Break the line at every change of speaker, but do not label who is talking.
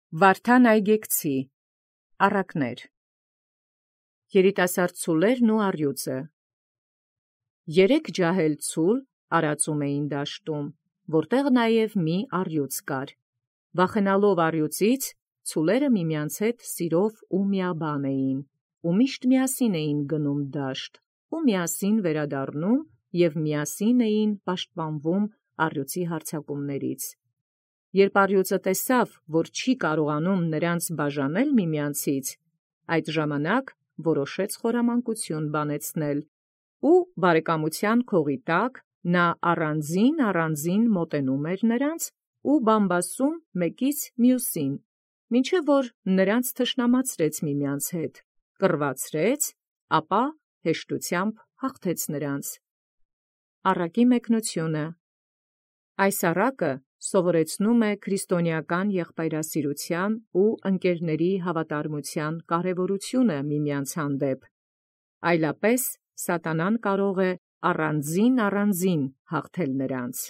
Վարդան Այգեկցի առակներ երիտասարդ ցուլերն ու առյուծը երեք ջահել ցուլ արածում էին դաշտում, որտեղ նաև մի առյուծ կար։ Վախենալով առյուծից, ցուլերը միմյանց հետ սիրով ու միաբան էին, ու միշտ միասին էին գնում դաշտ, ու միասին վերադառնում և միասին էին պաշտպանվում առյուծի հարձակումներից։ Երբ առյուծը տեսավ, որ չի կարողանում նրանց բաժանել միմյանցից, այդ ժամանակ որոշեց խորամանկություն բանեցնել, ու բարեկամության քողի տակ նա առանձին մոտենում էր նրանց ու բամբասում մեկից մյուսին, մինչև որ նրանց թշնամացրեց միմյանց հետ, կռվացրեց, ապա հեշտությամբ հաղթեց նրանց։ Առակի մեկնությունը այս առակը սովորեցնում է քրիստոնեական եղբայրասիրության ու ընկերների հավատարմության կարևորությունը միմյանց հանդեպ, այլապես սատանան կարող է առանձին հաղթել նրանց։